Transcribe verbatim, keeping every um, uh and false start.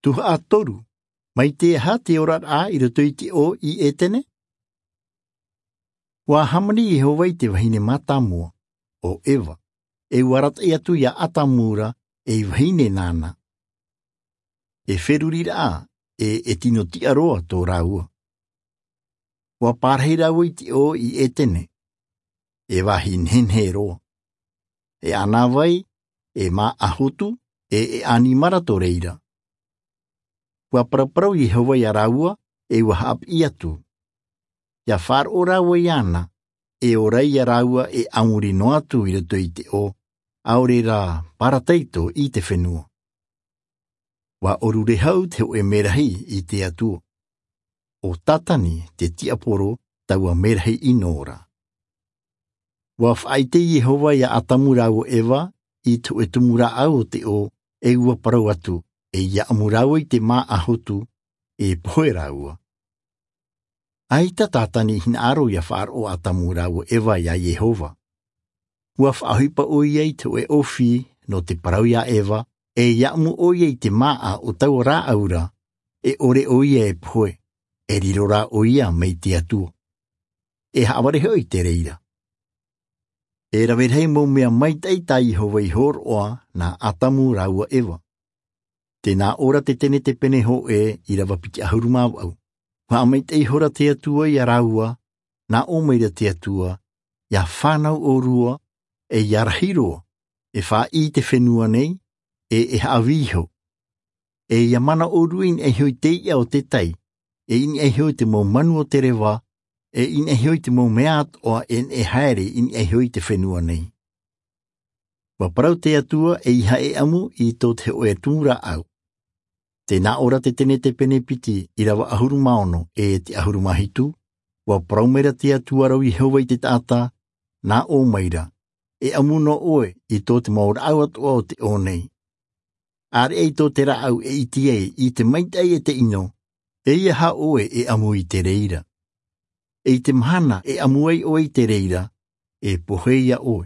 Tuhaʻa toru. Mai te aha te oraraʻa i roto i te ʻō i ʻētene? Ua hāmani iehova i te vahine mātāmua, ʻo eva, e ua arataʻi atu iā ʻatamu ra ei vahine nāna. E feruriraʻa, e e tino tiʻa roa tō rāua. Ua pārahi rāua i te ʻō i ʻētene, e vāhi nehenehe roa, e ʻānāvai, e māʻa hotu, e e ʻanimara tō reira. Ua paraparau iehova iā rāua, e ua haʻapiʻi atu, ia faʻaroʻo rāua iāna, e ora ai iā rāua e a muri noa atu i roto i te ʻō, ʻaore rā parataito i te fenua. Ua ʻōrure hau te hōʻē merahi i te atua, ʻo tātani te tiaporo, taua merahi ʻino ra. Ua faʻaʻite iehova iā ʻatamu rāua ʻo eva i te hōʻē tumu rāʻau o te ʻō, e ua parau atu, e ia ʻamu rāua i te māʻa hotu, e pohe rāua. ʻAita tātani i hinaʻaro ia faʻaroʻo ʻatamu rāua ʻo eva iā iehova. Ua faʻaʻohipa ʻoia i te hōʻē ʻōfī nō te parau iā eva, e ia ʻamu ʻoia i te māʻa o taua rāʻau ra, e ʻore ʻoia e pohe, e riro rā ʻoia mai te atua. E haʻavare hoʻi te reira. E rave rahi mau mea maitaʻi tā iehova i hōroʻa nā ʻatamu rāua ʻo eva. Tē nā ʻō ra te tenetepene hōʻē, ʻīrava piti ʻahuru mā vaʻu. Ua haʻamaitaʻi ihora te atua iā rāua, nā ʻō maira te atua, ia fānau ʻōrua, e ia rahi roa, e faʻaʻī i te fenua nei, e e haʻavī iho, e ia mana ʻōrua i niʻa iho i te iʻa o te tai, e i niʻa iho i te mau manu o te reva, e i niʻa iho i te mau mea atoʻa e neʻe haere i niʻa iho i te fenua nei. Ua parau te atua, e ia haʻaʻamu i tō te hōʻē tumu rāʻau. Tē nā ʻō ra te tenetepene piti, ʻīrava ʻahuru mā ono e te ʻahuru mā hitu. Ua parau maira te atua ra ʻo iehova i te taʻata, nā ʻō maira, e ʻamu noa ʻoe i tō te mau rāʻau atoʻa o te ʻō nei. ʻĀreʻa i tō te rāʻau e ʻite ai i te maitaʻi e te ʻino, e ia hā ʻoe e ʻamu i te reira. E i te mahana e ʻamu ai ʻoe i te reira, e pohe ia ʻoe,